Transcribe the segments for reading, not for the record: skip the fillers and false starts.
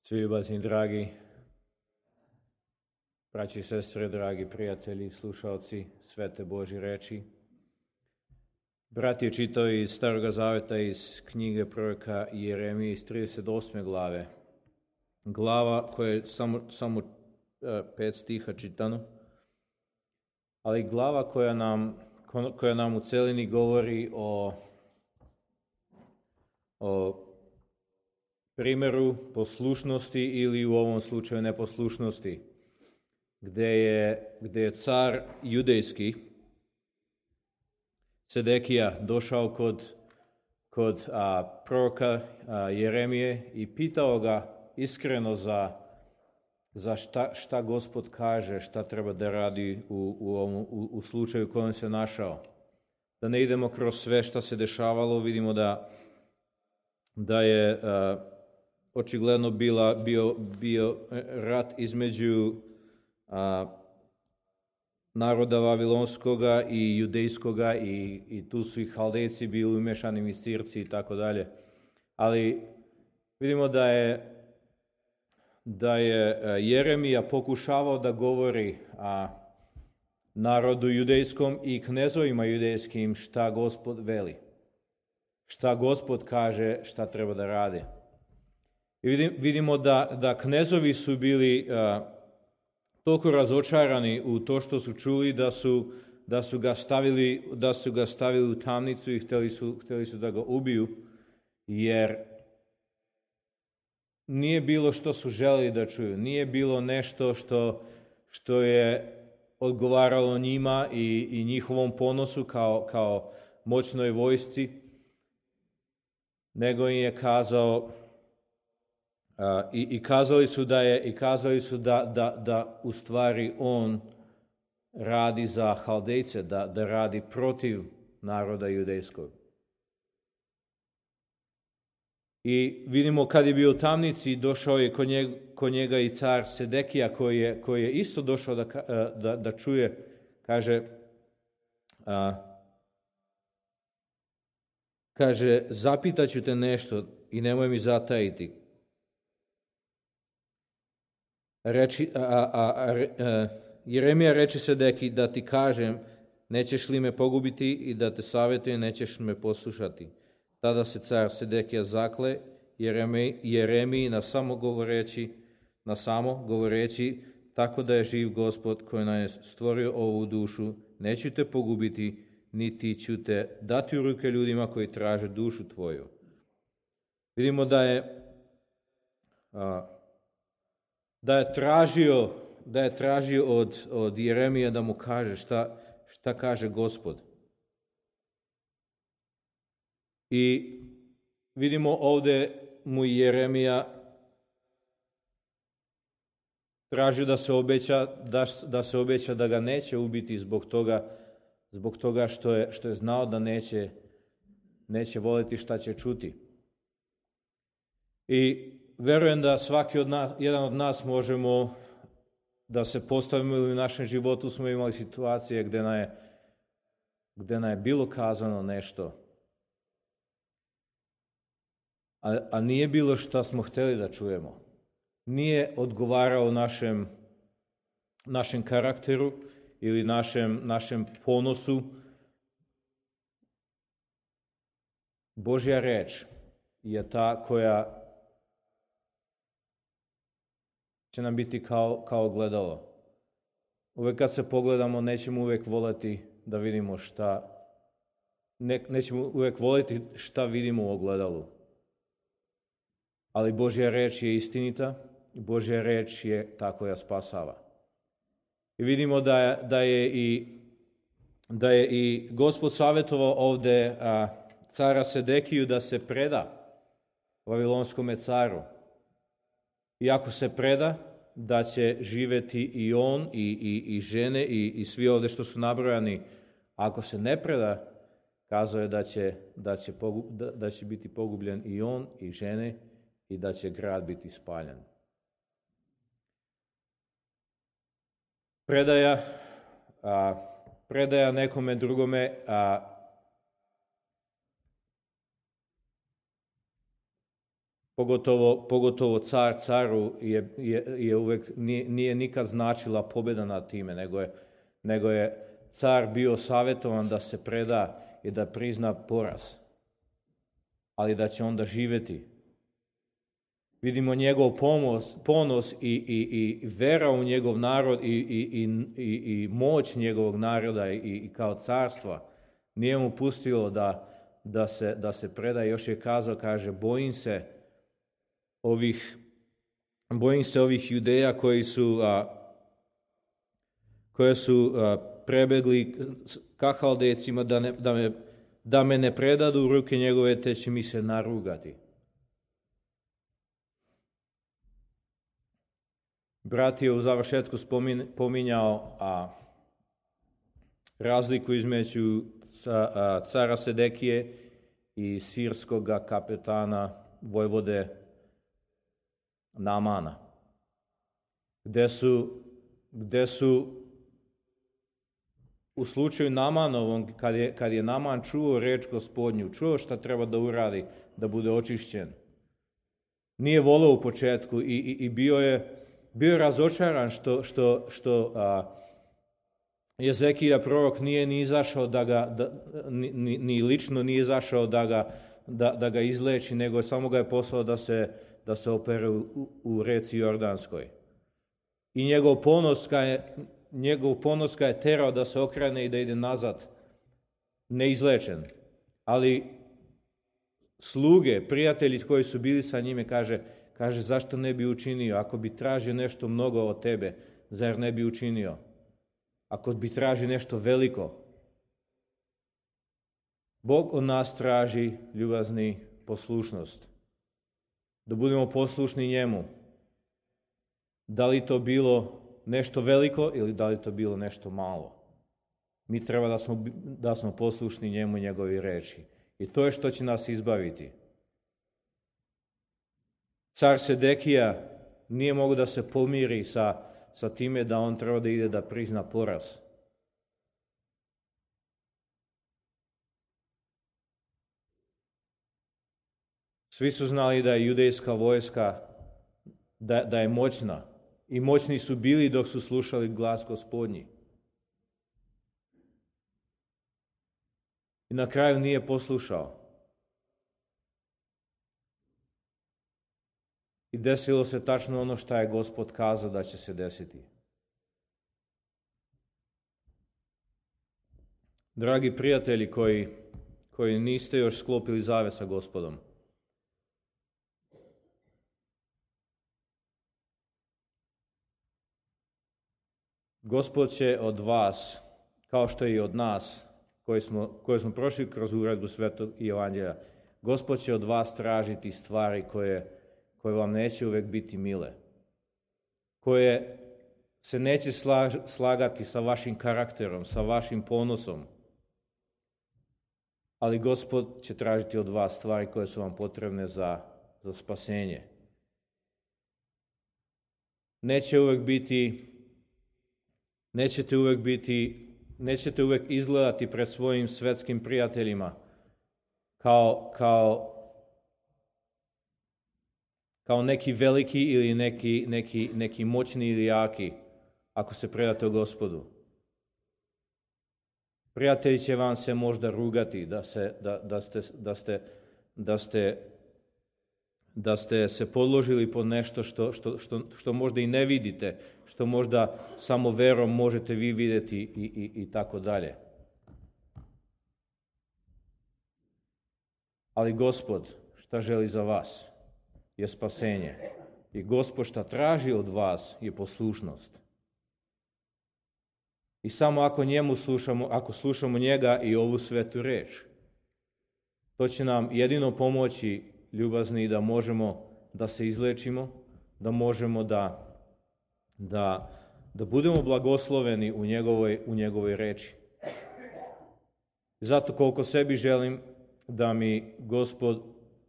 Svi ljubazni dragi braći i sestre, dragi prijatelji, slušalci Svete Božje reči. Brat je čitao iz Staroga Zaveta, iz knjige proroka Jeremije iz 38. glave. Glava koja je samo 5 stiha čitano, ali glava koja nam u celini govori o primjeru poslušnosti ili u ovom slučaju neposlušnosti, gdje je car judejski Sedekija došao kod proroka Jeremije i pitao ga iskreno za šta Gospod kaže, šta treba da radi u slučaju u kojem se našao. Da ne idemo kroz sve šta se dešavalo, vidimo da je očigledno bio rat između naroda Vavilonskoga i judejskoga i tu su i Haldejci bili umješani, Misirci i tako dalje. Ali vidimo da je Jeremija pokušavao da govori narodu judejskom i knezovima judejskim šta Gospod veli, šta Gospod kaže šta treba da rade. I vidimo da knezovi su bili toliko razočarani u to što su čuli da su ga stavili u tamnicu i htjeli su da ga ubiju, jer nije bilo što su želeli da čuju, nije bilo nešto što je odgovaralo njima i njihovom ponosu kao moćnoj vojsci, nego im je kazao i kazali su da u stvari on radi za Haldejce, da radi protiv naroda judejskog. I vidimo kad je bio u tamnici, došao je kod njega i car Sedekija koji je isto došao da čuje, kaže, zapitaću te nešto i nemoj mi zatajiti. Jeremija reče Sedekiji da ti kažem, nećeš li me pogubiti i da te savjetujem, nećeš me poslušati. Tada se car Sedekija zakle Jeremiji na samo govoreći, tako da je živ Gospod koji nam je stvorio ovu dušu, neću te pogubiti, niti ću te dati u ruke ljudima koji traže dušu tvoju. Vidimo da je tražio od Jeremija da mu kaže šta kaže Gospod. I vidimo ovdje mu Jeremija tražio da se obeća da ga neće ubiti zbog toga što je znao da neće voljeti šta će čuti. I verujem da jedan od nas možemo da se postavimo, ili u našem životu smo imali situacije gdje nam je bilo kazano nešto, a nije bilo šta smo htjeli da čujemo. Nije odgovarao našem karakteru ili našem ponosu. Božja reč je ta koja će nam biti kao gledalo. Uvijek kad se pogledamo, nećemo uvijek voljeti da vidimo nećemo uvijek voljeti šta vidimo u ogledalu. Ali Božja reč je istinita, Božja reč je ta koja spasava. I vidimo da je i Gospod savjetovao ovdje cara Sedekiju da se preda Vavilonskome caru. I ako se preda, da će živjeti i on i žene i svi ovdje što su nabrojani. Ako se ne preda, kazao je da će biti pogubljen i on i žene i da će grad biti spaljen. Predaja nekome drugome pogotovo caru je uvek, nije nikad značila pobjeda nad time, nego je car bio savjetovan da se preda i da prizna poraz, ali da će onda živjeti. Vidimo njegov ponos i vera u njegov narod i moć njegovog naroda i kao carstva. Nije mu pustilo da se preda. Još je kazao, kaže, bojim se ovih Judeja koji su prebegli ka Haldejcima da me ne predadu u ruke njegove, te će mi se narugati. Brat je u završetku pominjao razliku između cara Sedekije i sirskog kapetana vojvode Naamana, gde su u slučaju Naamanovom, kad je Naaman čuo reč Gospodnju, čuo šta treba da uradi, da bude očišćen, nije voleo u početku i bio je razočaran što Jezekija prorok nije ni izašao ni lično nije izašao da ga izleči, nego samo ga je poslao da se opere u reci Jordanskoj. I njegov ponos ga je terao da se okrene i da ide nazad, neizlečen. Ali sluge, prijatelji koji su bili sa njime, kaže, zašto ne bi učinio? Ako bi tražio nešto mnogo od tebe, zar ne bi učinio? Ako bi tražio nešto veliko, Bog od nas traži, ljubazni, poslušnost. Da budemo poslušni njemu. Da li to bilo nešto veliko ili da li to bilo nešto malo? Mi treba da smo poslušni njemu i njegovi reči. I to je što će nas izbaviti. Car Sedekija nije mogao da se pomiri sa time da on treba da ide da prizna poraz. Svi su znali da je judejska vojska, da je moćna. I moćni su bili dok su slušali glas Gospodnji. I na kraju nije poslušao. I desilo se tačno ono što je Gospod kazao da će se desiti. Dragi prijatelji koji niste još sklopili zavet sa Gospodom, Gospod će od vas, kao što i od nas, koji smo prošli kroz uredbu Svetog Evanđelja, Gospod će od vas tražiti stvari koje vam neće uvek biti mile, koje se neće slagati sa vašim karakterom, sa vašim ponosom, ali Gospod će tražiti od vas stvari koje su vam potrebne za spasenje. Nećete uvek izgledati pred svojim svetskim prijateljima kao neki veliki ili neki moćni ili jaki, ako se predate o Gospodu. Prijatelji će vam se možda rugati da ste se podložili pod nešto što možda i ne vidite, što možda samo verom možete vi vidjeti i tako dalje. Ali Gospod šta želi za vas je spasenje. I Gospod šta traži od vas je poslušnost. I samo ako slušamo njega i ovu svetu reč, to će nam jedino pomoći, ljubazni, da možemo da se izlečimo, da možemo da budemo blagosloveni u njegovoj reči. Zato koliko sebi želim da mi Gospod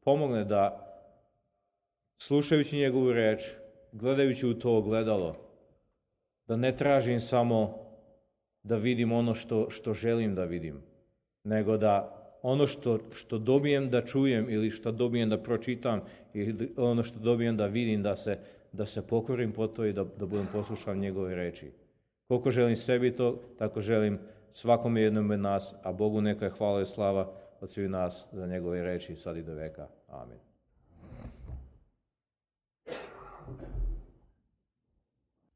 pomogne da, slušajući njegovu reč, gledajući u to ogledalo, da ne tražim samo da vidim ono što želim da vidim, nego da ono što dobijem da čujem ili što dobijem da pročitam ili ono što dobijem da vidim, da se pokorim po to i da budem poslušan njegove reči. Koliko želim sebi to, tako želim svakome jednom od nas, a Bogu neka je hvala i slava od svih nas za njegove reči sad i do veka. Amin.